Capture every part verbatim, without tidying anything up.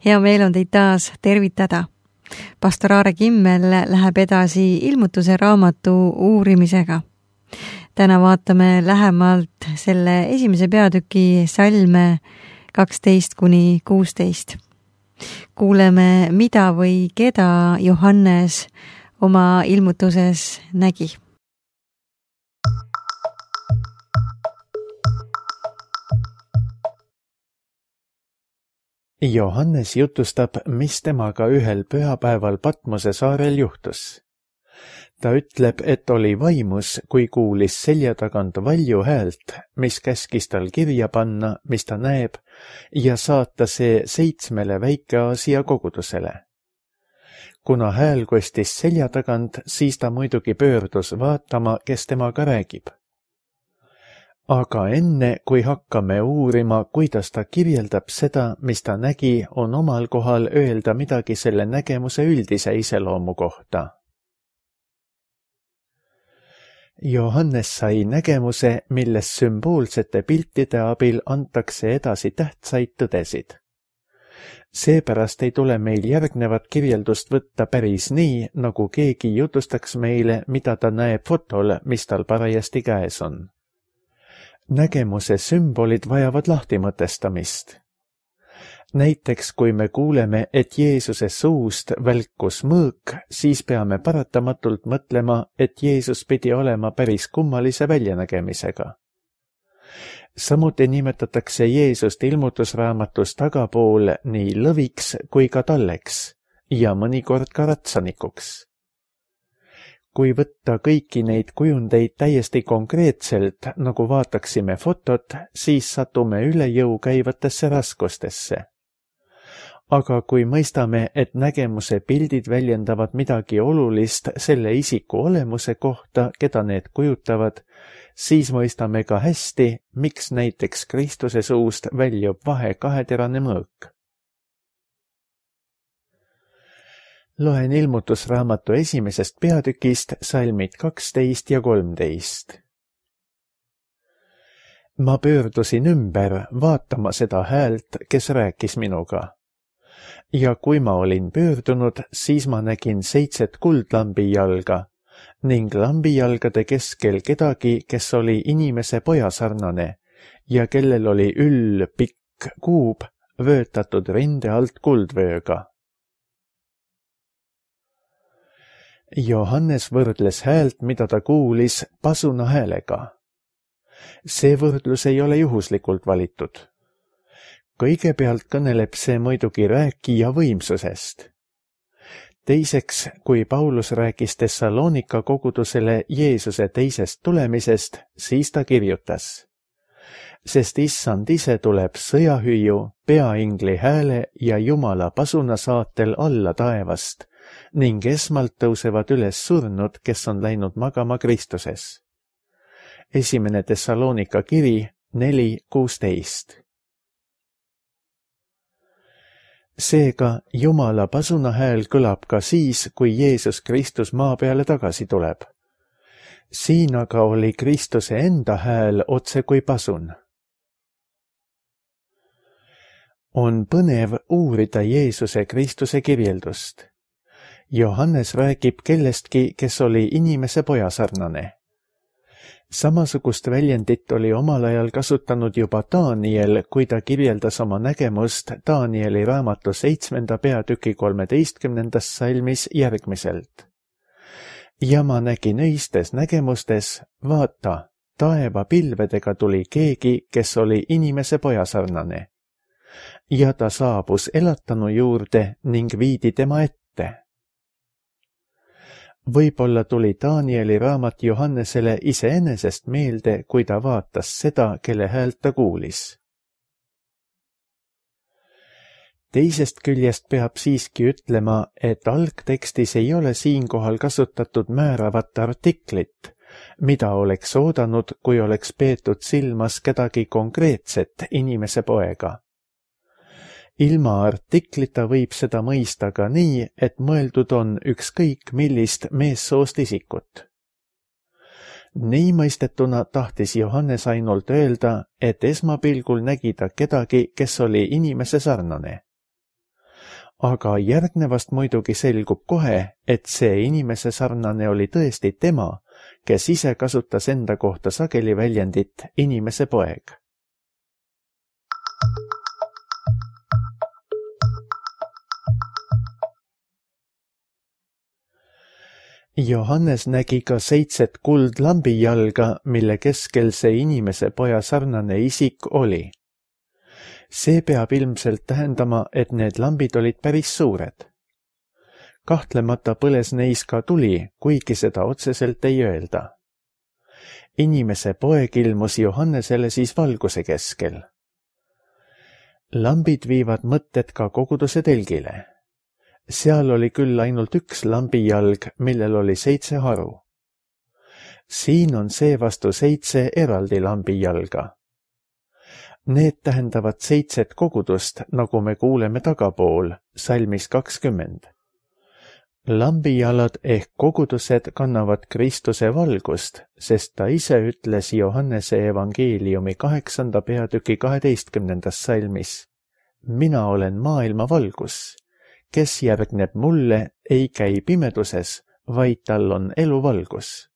Hea meel on teid taas tervitada. Pastor Aare Kimmel läheb edasi ilmutuse raamatu uurimisega. Täna vaatame lähemalt selle esimese peatüki salme kaksteist kuni kuusteist. Kuuleme, mida või keda Johannes oma ilmutuses nägi. Johannes jutustab, mis temaga ühel pühapäeval Patmose saarel juhtus. Ta ütleb, et oli vaimus, kui kuulis selja tagant valju häält, mis käskis tal kirja panna, mis ta näeb, ja saata see seitsmele Väike-Aasia kogudusele. Kuna hääl kostis selja tagant, siis ta muidugi pöördus vaatama, kes temaga räägib. Aga enne, kui hakkame uurima, kuidas ta kirjeldab seda, mis ta nägi, on omal kohal öelda midagi selle nägemuse üldise iseloomu kohta. Johannes sai nägemuse, milles sümboolsete piltide abil antakse edasi tähtsaid tõdesid. Seepärast ei tule meil järgnevat kirjeldust võtta päris nii, nagu keegi jutustaks meile, mida ta näeb fotol, mis tal parajasti käes on. Nägemuse sümbolid vajavad lahtimõtestamist. Näiteks, kui me kuuleme, et Jeesuse suust välkus mõõk, siis peame paratamatult mõtlema, et Jeesus pidi olema päris kummalise väljanägemisega. Samuti nimetatakse Jeesust ilmutusraamatus tagapool nii lõviks kui ka talleks ja mõnikord ka ratsanikuks. Kui võtta kõiki neid kujundeid täiesti konkreetselt, nagu vaataksime fotot, siis satume üle jõu käivatesse raskustesse. Aga kui mõistame, et nägemuse pildid väljendavad midagi olulist selle isiku olemuse kohta, keda need kujutavad, siis mõistame ka hästi, miks näiteks Kristuse suust väljub vahe kaheterane mõõk. Loen ilmutusraamatu esimesest peatükist salmid kaksteist ja kolmteist. Ma pöördusin ümber vaatama seda häält, kes rääkis minuga. Ja kui ma olin pöördunud, siis ma nägin seitset kuldlambi jalga ning lambijalgade keskel kedagi, kes oli inimese pojasarnane ja kellel oli üll pikk kuub vöötatud rinde alt kuldvööga. Johannes võrdles häält, mida ta kuulis, pasuna häälega. See võrdlus ei ole juhuslikult valitud. Kõigepealt kõneleb see muidugi rääkija võimsusest. Teiseks, kui Paulus rääkis Thessalonika kogudusele Jeesuse teisest tulemisest, siis ta kirjutas. Sest issand ise tuleb sõjahüüu, peaingli hääle ja Jumala pasuna saatel alla taevast, ning esmalt tõusevad üles surnud, kes on läinud magama Kristuses. Esimene Thessalonika kiri neli kuusteist. Seega Jumala pasuna hääl kõlab ka siis, kui Jeesus Kristus maa peale tagasi tuleb. Siin aga oli Kristuse enda hääl otse kui pasun. On põnev uurida Jeesuse Kristuse kirjeldust. Johannes räägib kellestki, kes oli inimese pojasarnane. Samasugust väljendit oli omal ajal kasutanud juba Daniel, kui ta kirjeldas oma nägemust Danieli raamatu seitsmenda peatüki kolmeteistkümnendas salmis järgmiselt. Ja ma nägin öistes nägemustes, vaata, taeva pilvedega tuli keegi, kes oli inimese pojasarnane. Ja ta saabus elatanu juurde ning viidi tema ette. Võib-olla tuli Danieli raamat Johannesele iseenesest meelde, kui ta vaatas seda, kelle häält ta kuulis. Teisest küljest peab siiski ütlema, et algtekstis ei ole siinkohal kasutatud määravat artiklit, mida oleks oodanud, kui oleks peetud silmas kedagi konkreetset inimese poega. Ilma artiklita võib seda mõista ka nii, et mõeldud on ükskõik millist meessoost isikut. Nii mõistetuna tahtis Johannes ainult öelda, et esmapilgul nägi ta kedagi, kes oli inimese sarnane. aga järgnevast muidugi selgub kohe, et see inimese sarnane oli tõesti tema, kes ise kasutas enda kohta sageli väljendit inimese poeg. Johannes nägi ka seitset kuldlambijalga, mille keskel see inimese poja sarnane isik oli. See peab ilmselt tähendama, et need lambid olid päris suured. Kahtlemata põles neis ka tuli, kuigi seda otseselt ei öelda. Inimese poeg ilmus Johannesele siis valguse keskel. Lambid viivad mõtted ka koguduse telgile. Seal oli küll ainult üks lambijalg, millel oli seitse haru. Siin on seevastu seitse eraldi lambijalga. Need tähendavad seitset kogudust, nagu me kuuleme tagapool, salmis kakskümmend. Lambijalad ehk kogudused kannavad Kristuse valgust, sest ta ise ütles Johannese evangeeliumi kaheksanda peatüki kaheteistkümnendas salmis: Mina olen maailma valgus. Kes järgneb mulle, ei käi pimeduses, vaid tal on eluvalgus.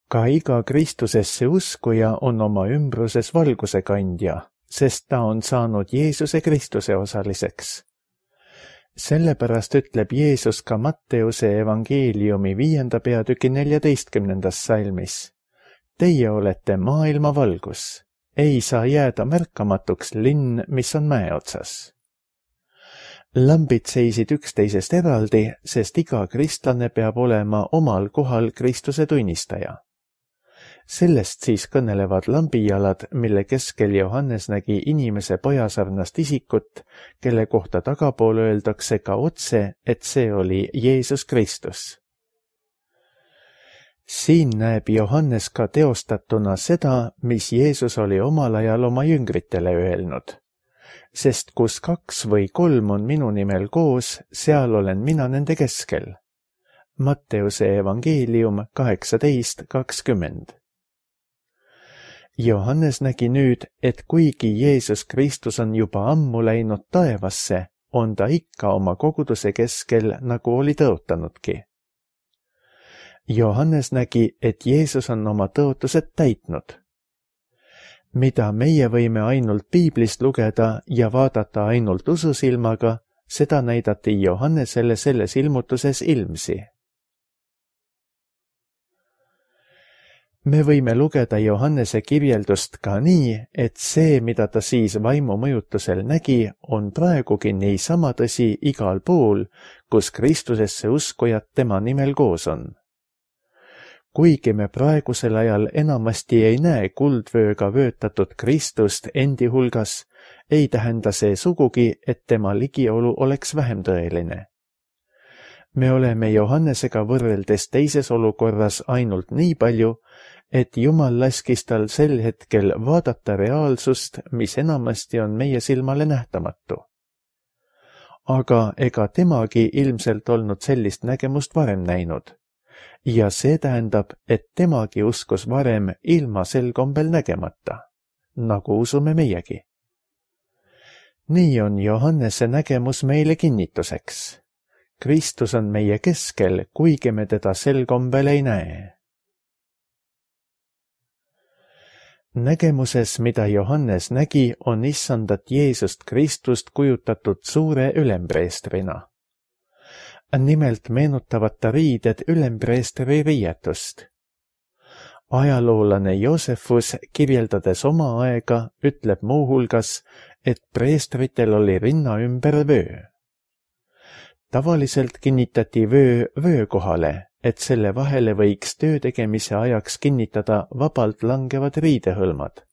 Ka iga Kristusesse uskuja on oma ümbruses valguse kandja, sest ta on saanud Jeesuse Kristuse osaliseks. Sellepärast ütleb Jeesus ka Matteuse evangeeliumi viienda peatüki neljateistkümnendas salmis: Teie olete maailma valgus. Ei saa jääda märkamatuks linn, mis on mäe otsas. Lambid seisid üksteisest eraldi, sest iga kristlane peab olema omal kohal Kristuse tunnistaja. Sellest siis kõnelevad lambijalad, mille keskel Johannes nägi inimese pojasarnast isikut, kelle kohta tagapool öeldakse ka otse, et see oli Jeesus Kristus. Siin näeb Johannes ka teostatuna seda, mis Jeesus oli omal ajal oma jüngritele öelnud. Sest kus kaks või kolm on minu nimel koos, seal olen mina nende keskel. Matteuse evangeelium kaheksateist kakskümmend. Johannes nägi nüüd, et kuigi Jeesus Kristus on juba ammu läinud taevasse, on ta ikka oma koguduse keskel, nagu oli tõotanudki. Johannes nägi, et Jeesus on oma tõotused täitnud. Mida meie võime ainult piiblist lugeda ja vaadata ainult ususilmaga, seda näidati Johannesele selles ilmutuses ilmsi. Me võime lugeda Johannese kirjeldust ka nii, et see, mida ta siis vaimu mõjutusel nägi, on praegugi niisama tõsi igal pool, kus Kristusesse uskujad tema nimel koos on. Kuigi me praegusel ajal enamasti ei näe kuldvööga vöötatud Kristust endi hulgas, ei tähenda see sugugi, et tema ligiolu oleks vähem tõeline. Me oleme Johannesega võrreldes teises olukorras ainult nii palju, et Jumal laskis tal sel hetkel vaadata reaalsust, mis enamasti on meie silmale nähtamatu. Aga ega temagi ilmselt olnud sellist nägemust varem näinud. Ja see tähendab, et temagi uskus varem ilma sel kombel nägemata, nagu usume meiegi. Nii on Johannese nägemus meile kinnituseks. Kristus on meie keskel, kuigi me teda sel kombel ei näe. Nägemuses, mida Johannes nägi, on issandat Jeesust Kristust kujutatud suure ülempreestrina. Nimelt meenutavad ta riided ülempreestri riietust. Ajaloolane Joosefus, kirjeldades oma aega, ütleb muuhulgas, et preestritel oli rinna ümber vöö. Tavaliselt kinnitati vöö vöö kohale, et selle vahele võiks töö tegemise ajaks kinnitada vabalt langevad riidehõlmad.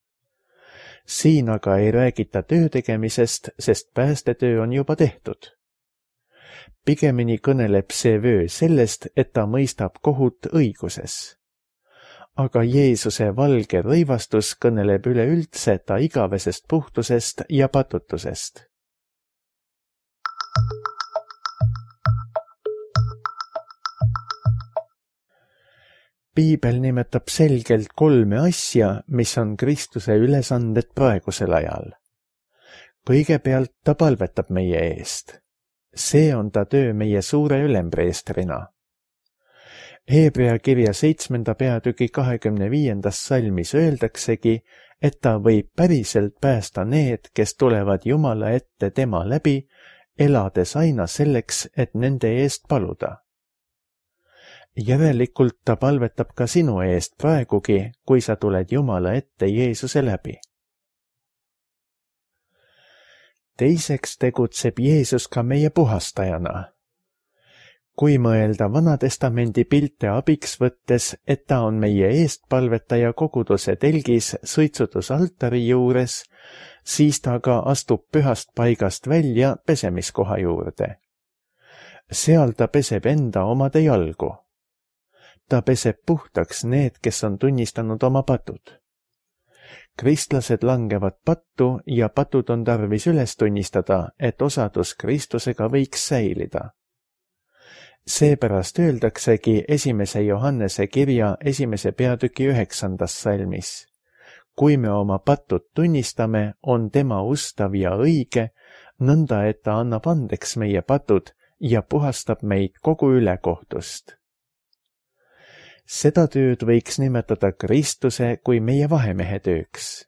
Siin aga ei räägita töö tegemisest, sest päästetöö on juba tehtud. Pigemini kõneleb see vöö sellest, et ta mõistab kohut õiguses. Aga Jeesuse valge rõivastus kõneleb üleüldse ta igavesest puhtusest ja patutusest. Piibel nimetab selgelt kolme asja, mis on Kristuse ülesanded praegusel ajal. kõigepealt ta palvetab meie eest. See on ta töö meie suure ülempreestrina. Hebrea kirja seitsmenda peatüki kahekümne viiendas salmis öeldaksegi, et ta võib päriselt päästa need, kes tulevad Jumala ette tema läbi, elades aina selleks, et nende eest paluda. Järelikult ta palvetab ka sinu eest praegugi, kui sa tuled Jumala ette Jeesuse läbi. Teiseks tegutseb Jeesus ka meie puhastajana. Kui mõelda Vanatestamendi pilte abiks võttes, et ta on meie eestpalvetaja koguduse telgis suitsutusaltari juures, siis ta ka astub pühast paigast välja pesemiskoha juurde. Seal ta peseb enda omade jalgu. Ta peseb puhtaks need, kes on tunnistanud oma patud. Kristlased langevad pattu ja patud on tarvis üles tunnistada, et osadus Kristusega võiks säilida. Seepärast öeldaksegi esimese Johannese kirja esimese peatüki üheksandas salmis. Kui me oma patud tunnistame, on tema ustav ja õige, nõnda et ta annab andeks meie patud ja puhastab meid kogu ülekohtust. Seda tööd võiks nimetada Kristuse kui meie vahemehe tööks.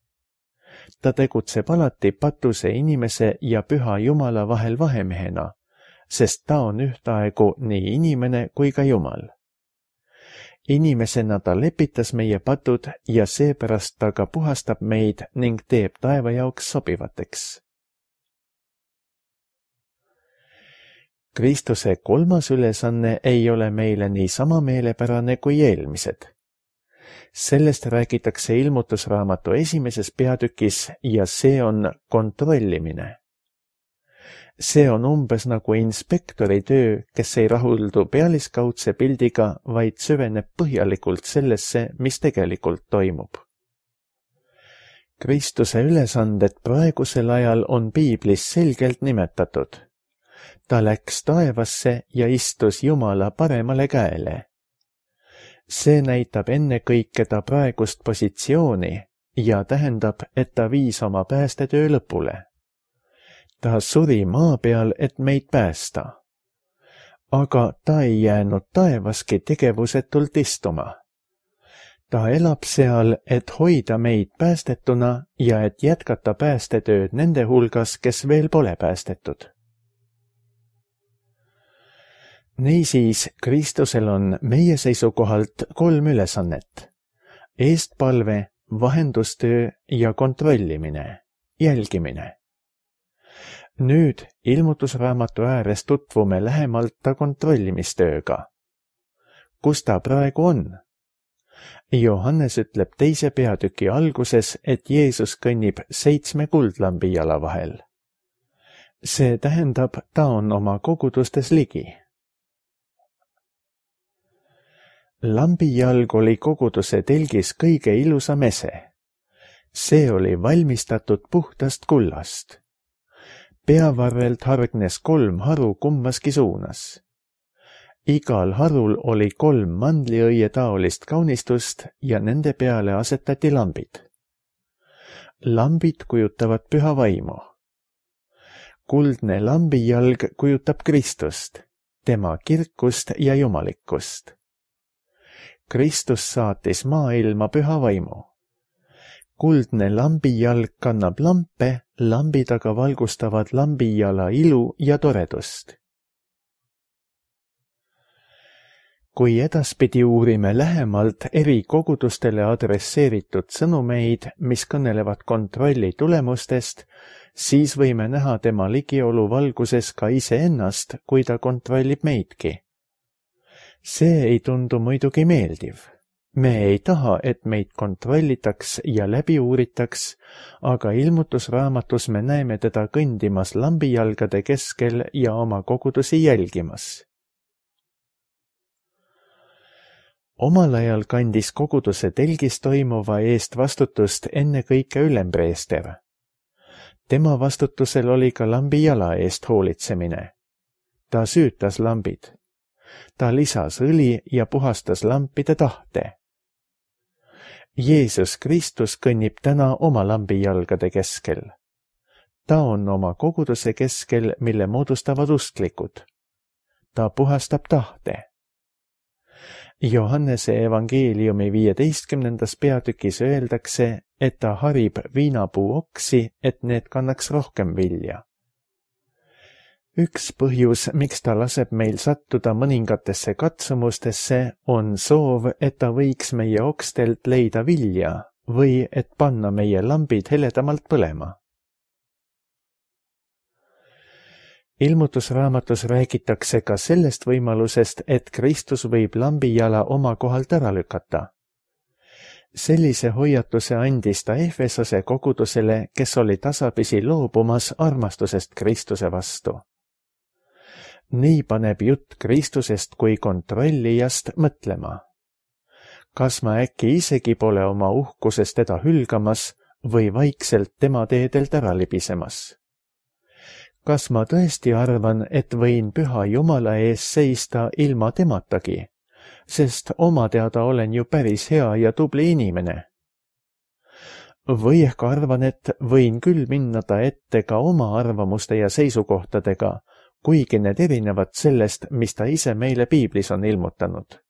Ta tegutseb alati patuse inimese ja püha Jumala vahel vahemehena, sest ta on ühtaegu nii inimene kui ka Jumal. Inimesena ta lepitas meie patud ja seepärast ta ka puhastab meid ning teeb taeva jaoks sobivateks. Kristuse kolmas ülesanne ei ole meile nii sama meelepärane kui eelmised. Sellest räägitakse ilmutusraamatu esimeses peatükis ja see on kontrollimine. See on umbes nagu inspektori töö, kes ei rahuldu pealiskaudse pildiga, vaid süveneb põhjalikult sellesse, mis tegelikult toimub. Kristuse ülesanded praegusel ajal on piiblis selgelt nimetatud. Ta läks taevasse ja istus Jumala paremale käele. See näitab ennekõike ta praegust positsiooni ja tähendab, et ta viis oma päästetöö lõpule. Ta suri maa peal, et meid päästa. Aga ta ei jäänud taevaski tegevusetult istuma. Ta elab seal, et hoida meid päästetuna ja et jätkata päästetööd nende hulgas, kes veel pole päästetud. Niisiis, Kristusel on meie seisukohalt kolm ülesannet. Eestpalve, vahendustöö ja kontrollimine, jälgimine. Nüüd ilmutusraamatu ääres tutvume lähemalt ta kontrollimistööga. Kus ta praegu on? Johannes ütleb teise peatüki alguses, et Jeesus kõnnib seitsme kuldlambi jala vahel. See tähendab, ta on oma kogudustes ligi. Lambijalg oli koguduse telgis kõige ilusam ese. See oli valmistatud puhtast kullast. Peavarrelt hargnes kolm haru kummaski suunas. Igal harul oli kolm mandliõie taolist kaunistust ja nende peale asetati lambid. Lambid kujutavad püha vaimu. Kuldne lambijalg kujutab Kristust, tema kirkust ja jumalikkust. Kristus saatis maailma püha vaimu. Kuldne lambijalg kannab lampe, lambid aga valgustavad lambijala ilu ja toredust. Kui edaspidi uurime lähemalt eri kogudustele adresseeritud sõnumeid, mis kõnelevad kontrolli tulemustest, siis võime näha tema ligiolu valguses ka iseennast, kui ta kontrollib meidki. See ei tundu muidugi meeldiv. Me ei taha, et meid kontrollitaks ja läbi uuritaks, aga ilmutusraamatus me näeme teda kõndimas lambijalgade keskel ja oma kogudusi jälgimas. Omal ajal kandis koguduse telgis toimuva eest vastutust ennekõike ülempreester. Tema vastutusel oli ka lambi jala eest hoolitsemine. Ta süütas lambid. Ta lisas õli ja puhastas lampide tahte. Jeesus Kristus kõnnib täna oma lambijalgade keskel. ta on oma koguduse keskel, mille moodustavad usklikud. Ta puhastab tahte. Johannese evangeeliumi viieteistkümnendas peatükis öeldakse, et ta harib viinapuu oksi, et need kannaks rohkem vilja. Üks põhjus, miks ta laseb meil sattuda mõningatesse katsumustesse, on soov, et ta võiks meie okstelt leida vilja või et panna meie lambid heledamalt põlema. Ilmutusraamatus räägitakse ka sellest võimalusest, et Kristus võib lambijala oma kohalt ära lükata. Sellise hoiatuse andis ta Efesose kogudusele, kes oli tasapisi loobumas armastusest Kristuse vastu. Nii paneb jutt Kristusest kui kontrollijast mõtlema. Kas ma äkki isegi pole oma uhkusest teda hülgamas või vaikselt tema teedelt ära libisemas? Kas ma tõesti arvan, et võin püha Jumala ees seista ilma tematagi, sest oma teada olen ju päris hea ja tubli inimene? Või ehk arvan, et võin küll minna ta ette ka oma arvamuste ja seisukohtadega, kuigi need erinevad sellest, mis ta ise meile piiblis on ilmutanud.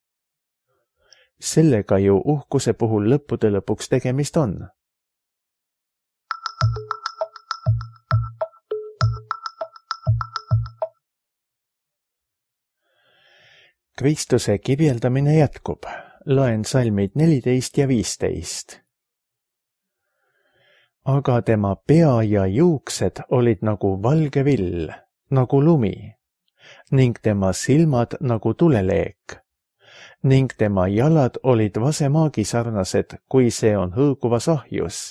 Sellega ju uhkuse puhul lõppude lõpuks tegemist on. Kristuse kirjeldamine jätkub. Loen salmid neliteist ja viisteist. Aga tema pea ja juuksed olid nagu valge vill, nagu lumi, ning tema silmad nagu tuleleek, ning tema jalad olid vasemaagi sarnased, kui see on hõõguvas ahjus,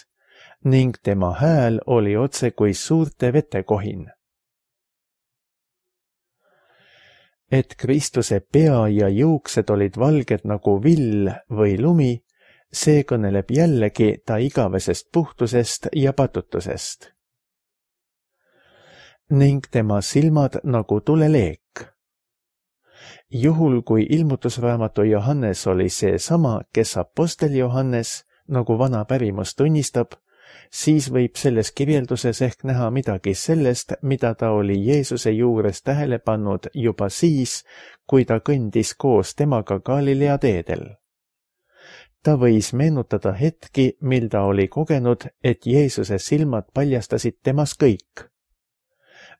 ning tema hääl oli otse kui suurte vetekohin. Et Kristuse pea ja juuksed olid valged nagu vill või lumi, see kõneleb jällegi ta igavesest puhtusest ja patutusest. Ning tema silmad nagu tuleleek. Juhul, kui ilmutusraamatu Johannes oli see sama, kes apostel Johannes, nagu vana pärimus tunnistab, siis võib selles kirjelduses ehk näha midagi sellest, mida ta oli Jeesuse juures tähele pannud juba siis, kui ta kõndis koos temaga Galilea teedel. Ta võis meenutada hetki, mil ta oli kogenud, et Jeesuse silmad paljastasid temas kõik.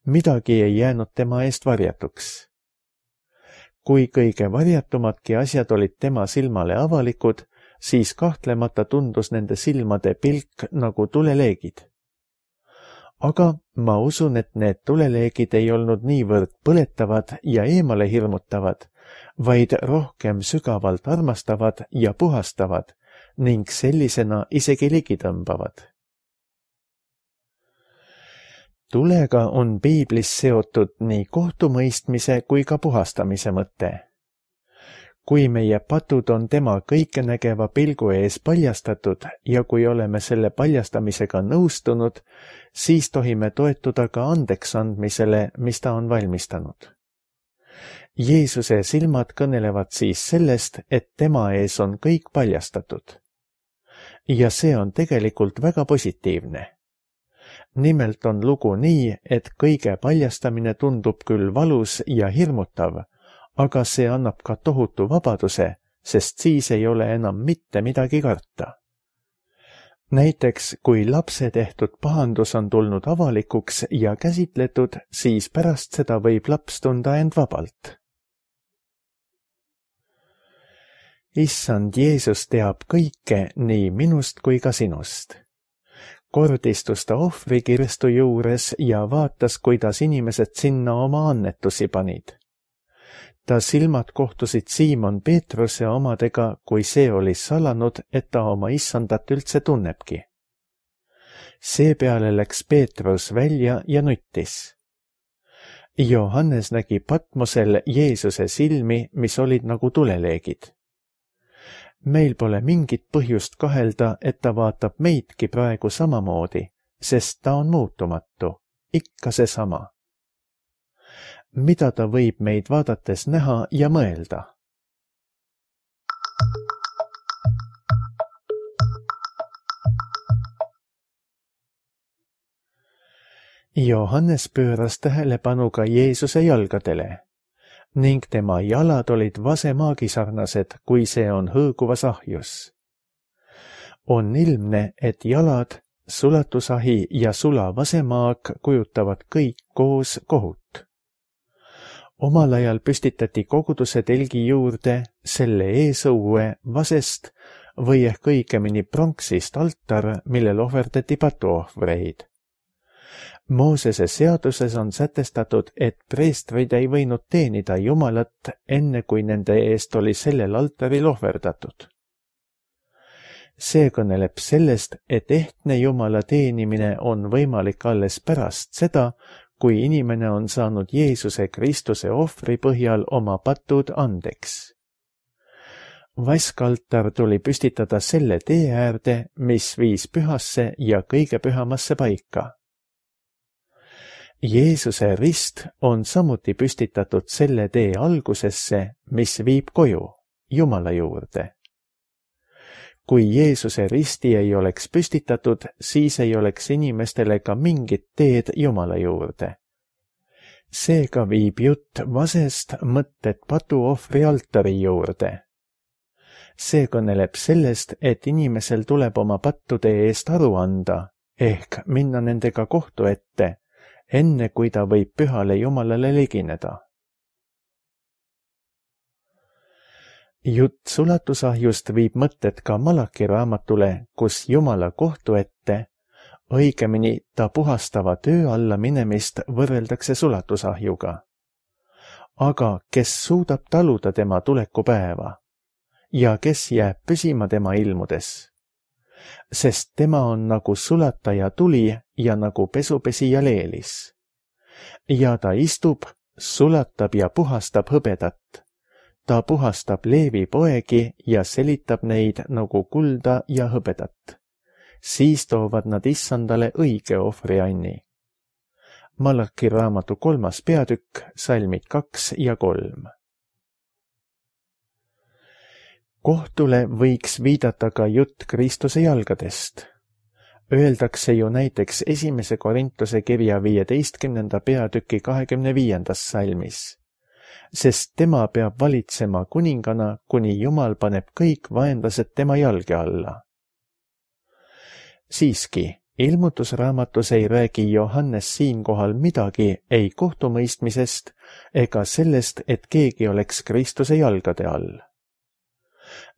Midagi ei jäänud tema eest varjatuks. Kui kõige varjatumadki asjad olid tema silmale avalikud, siis kahtlemata tundus nende silmade pilk nagu tuleleegid. Aga ma usun, et need tuleleegid ei olnud niivõrd põletavad ja eemale hirmutavad, vaid rohkem sügavalt armastavad ja puhastavad ning sellisena isegi ligitõmbavad. Tulega on piiblis seotud nii kohtumõistmise kui ka puhastamise mõte. Kui meie patud on tema kõikenägeva pilgu ees paljastatud ja kui oleme selle paljastamisega nõustunud, siis tohime toetuda ka andeks andmisele, mis ta on valmistanud. Jeesuse silmad kõnelevad siis sellest, et tema ees on kõik paljastatud. Ja see on tegelikult väga positiivne. Nimelt on lugu nii, et kõige paljastamine tundub küll valus ja hirmutav, aga see annab ka tohutu vabaduse, sest siis ei ole enam mitte midagi karta. Näiteks, kui lapse tehtud pahandus on tulnud avalikuks ja käsitletud, siis pärast seda võib laps tunda end vabalt. Issand Jeesus teab kõike nii minust kui ka sinust. Kordistus ta ohvrikirstu juures ja vaatas, kuidas inimesed sinna oma annetusi panid. Ta silmad kohtusid Siimon Peetruse omadega, kui see oli salanud, et ta oma issandat üldse tunnebki. Seepeale läks Peetrus välja ja nuttis. Johannes nägi Patmosel Jeesuse silmi, mis olid nagu tuleleegid. Meil pole mingit põhjust kahelda, et ta vaatab meidki praegu samamoodi, sest ta on muutumatu, ikka seesama. Mida ta võib meid vaadates näha ja mõelda? Johannes pööras tähelepanu ka Jeesuse jalgadele ning tema jalad olid vasemaagi sarnased, kui see on hõõguvas ahjus. On ilmne, et jalad, sulatusahi ja sula vasemaag kujutavad kõik koos kohut. Omal ajal püstitati koguduse telgi juurde selle eesõue vasest või ehk õigemini pronksist altar, millel ohverdati patuohvreid. Moosese seaduses on sätestatud, et preestrid ei võinud teenida Jumalat enne, kui nende eest oli sellel altaril ohverdatud. See kõneleb sellest, et ehtne Jumala teenimine on võimalik alles pärast seda, kui inimene on saanud Jeesuse Kristuse ohvri põhjal oma patud andeks. Vaskaltar tuli püstitada selle tee äärde, mis viis pühasse ja kõige pühamasse paika. Jeesuse rist on samuti püstitatud selle tee algusesse, mis viib koju, Jumala juurde. Kui Jeesuse risti ei oleks püstitatud, siis ei oleks inimestele ka mingit teed Jumala juurde. Seega viib jutt vasest mõtted patuohvri altari juurde. See kõneleb sellest, et inimesel tuleb oma pattude eest aru anda, ehk minna nendega kohtu ette, enne kui ta võib pühale Jumalale ligineda. Jutt sulatusahjust viib mõtted ka Malaki raamatule, kus Jumala kohtu ette, õigemini ta puhastava töö alla minemist võrreldakse sulatusahjuga. Aga kes suudab taluda tema tulekupäeva ja kes jääb püsima tema ilmudes? Sest tema on nagu sulataja tuli ja nagu pesupesija leelis. Ja ta istub, sulatab ja puhastab hõbedat. Ta puhastab Leevi poegi ja selitab neid nagu kulda ja hõbedat. Siis toovad nad issandale õige ohvrianni. Malaki raamatu kolmas peatükk, salmid kaks ja kolm. Kohtule võiks viidata ka jutt Kristuse jalgadest. Öeldakse ju näiteks esimese Korintuse kirja viieteistkümnenda peatüki kahekümne viiendas salmis, sest tema peab valitsema kuningana, kuni Jumal paneb kõik vaenlased tema jalge alla. Siiski, ilmutusraamatus ei räägi Johannes siinkohal midagi ei kohtumõistmisest ega sellest, et keegi oleks Kristuse jalgade all.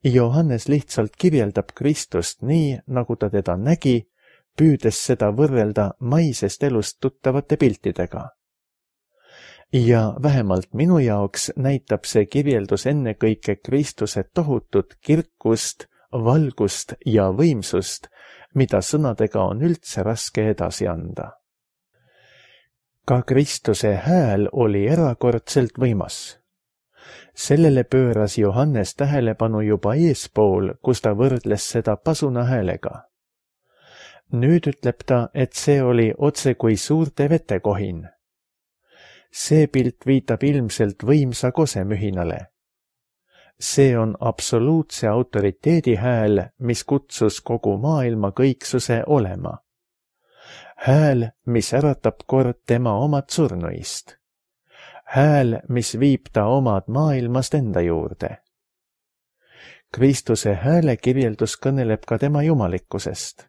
Johannes lihtsalt kirjeldab Kristust nii, nagu ta teda nägi, püüdes seda võrrelda maisest elust tuttavate piltidega. Ja vähemalt minu jaoks näitab see kirjeldus ennekõike Kristuse tohutut kirkust, valgust ja võimsust, mida sõnadega on üldse raske edasi anda. Ka Kristuse hääl oli erakordselt võimas. Sellele pööras Johannes tähelepanu juba eespool, kus ta võrdles seda pasuna häälega. Nüüd ütleb ta, et see oli otse kui suurte vetekohin. See pilt viitab ilmselt võimsa kosemühinale. See on absoluutse autoriteedi hääl, mis kutsus kogu maailma kõiksuse olema. Hääl, mis äratab kord tema omad surnuist. Hääl, mis viib ta omad maailmast enda juurde. Kristuse hääle kirjeldus kõneleb ka tema jumalikkusest.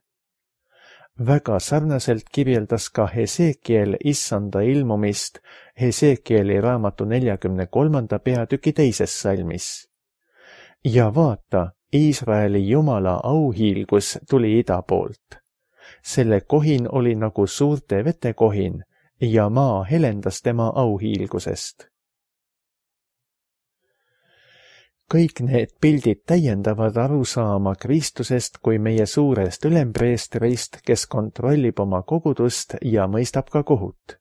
Väga sarnaselt kirjeldas ka Hesekiel issanda ilmumist Hesekieli raamatu neljakümne kolmanda peatüki teises salmis. Ja vaata, Iisraeli Jumala auhiilgus tuli ida poolt. Selle kohin oli nagu suurte vetekohin ja maa helendas tema auhiilgusest. Kõik need pildid täiendavad arusaama Kristusest kui meie suurest ülempreestrist, kes kontrollib oma kogudust ja mõistab ka kohut.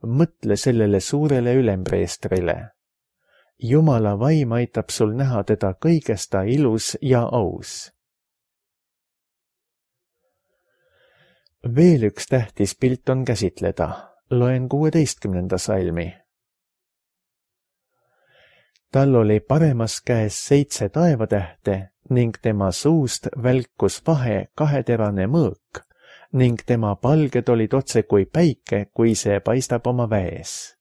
Mõtle sellele suurele ülempreestrile. Jumala vaim aitab sul näha teda kõigesta ilus ja aus. Veel üks tähtis pilt on käsitleda. Loen kuueteistkümnenda salmi. Tal oli paremas käes seitse taevatähte ning tema suust välkus vahe kaheterane mõõk, ning tema palged olid otse kui päike, kui see paistab oma väes.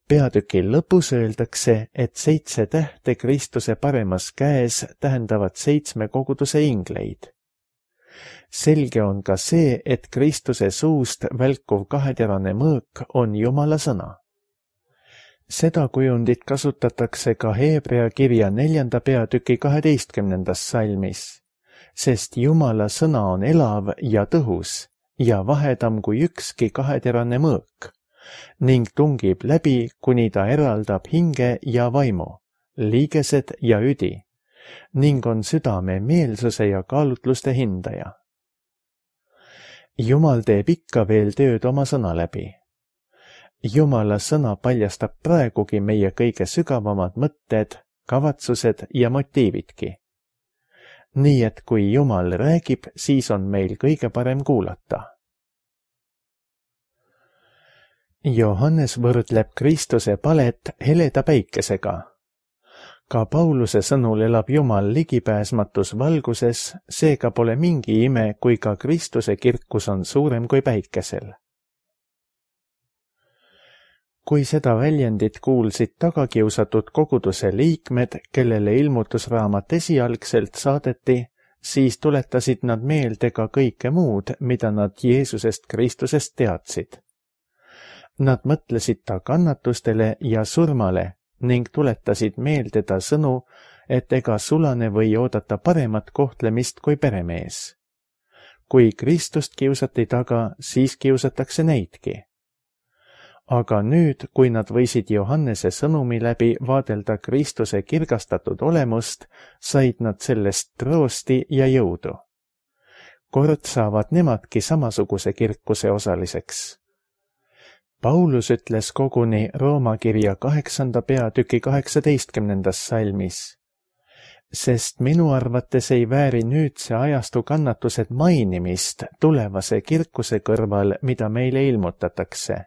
Peatüki lõpus öeldakse, et seitse tähte Kristuse paremas käes tähendavad seitsme koguduse ingleid. Selge on ka see, et Kristuse suust välkuv kaheterane mõõk on Jumala sõna. Seda kujundit kasutatakse ka Heebrea kirja neljanda peatüki kaheteistkümnendas salmis, sest Jumala sõna on elav ja tõhus ja vahedam kui ükski kaheterane mõõk ning tungib läbi, kuni ta eraldab hinge ja vaimu, liigesed ja üdi ning on südame meelsuse ja kaalutluste hindaja. Jumal teeb ikka veel tööd oma sõna läbi. Jumala sõna paljastab praegugi meie kõige sügavamad mõtted, kavatsused ja motiividki. Nii et kui Jumal räägib, siis on meil kõige parem kuulata. Johannes võrdleb Kristuse palet heleda päikesega. Ka Pauluse sõnul elab Jumal ligipääsmatus valguses, seega pole mingi ime, kui ka Kristuse kirkus on suurem kui päikesel. Kui seda väljendit kuulsid tagakiusatud koguduse liikmed, kellele ilmutusraamat esialgselt saadeti, siis tuletasid nad meelde ka kõike muud, mida nad Jeesusest Kristusest teadsid. Nad mõtlesid ta kannatustele ja surmale ning tuletasid meelde ta sõnu, et ega sulane või oodata paremat kohtlemist kui peremees. Kui Kristust kiusati taga, siis kiusatakse neidki. Aga nüüd, kui nad võisid Johannese sõnumi läbi vaadelda Kristuse kirgastatud olemust, said nad sellest troosti ja jõudu. Kord saavad nemadki samasuguse kirkuse osaliseks. Paulus ütles koguni Rooma kirja kaheksanda peatüki kaheksateistkümnendas salmis, sest minu arvates ei vääri nüüdse ajastu kannatused mainimist tulevase kirkuse kõrval, mida meile ilmutatakse.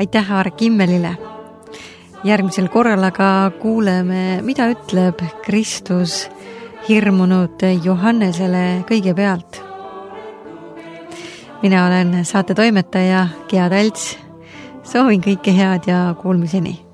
Aitäh Aare Kimmelile. Järgmisel korral aga kuuleme, mida ütleb Kristus hirmunud Johannesele kõigepealt. Mina olen saate toimetaja Gea Talts. Soovin kõike head ja kuulmiseni.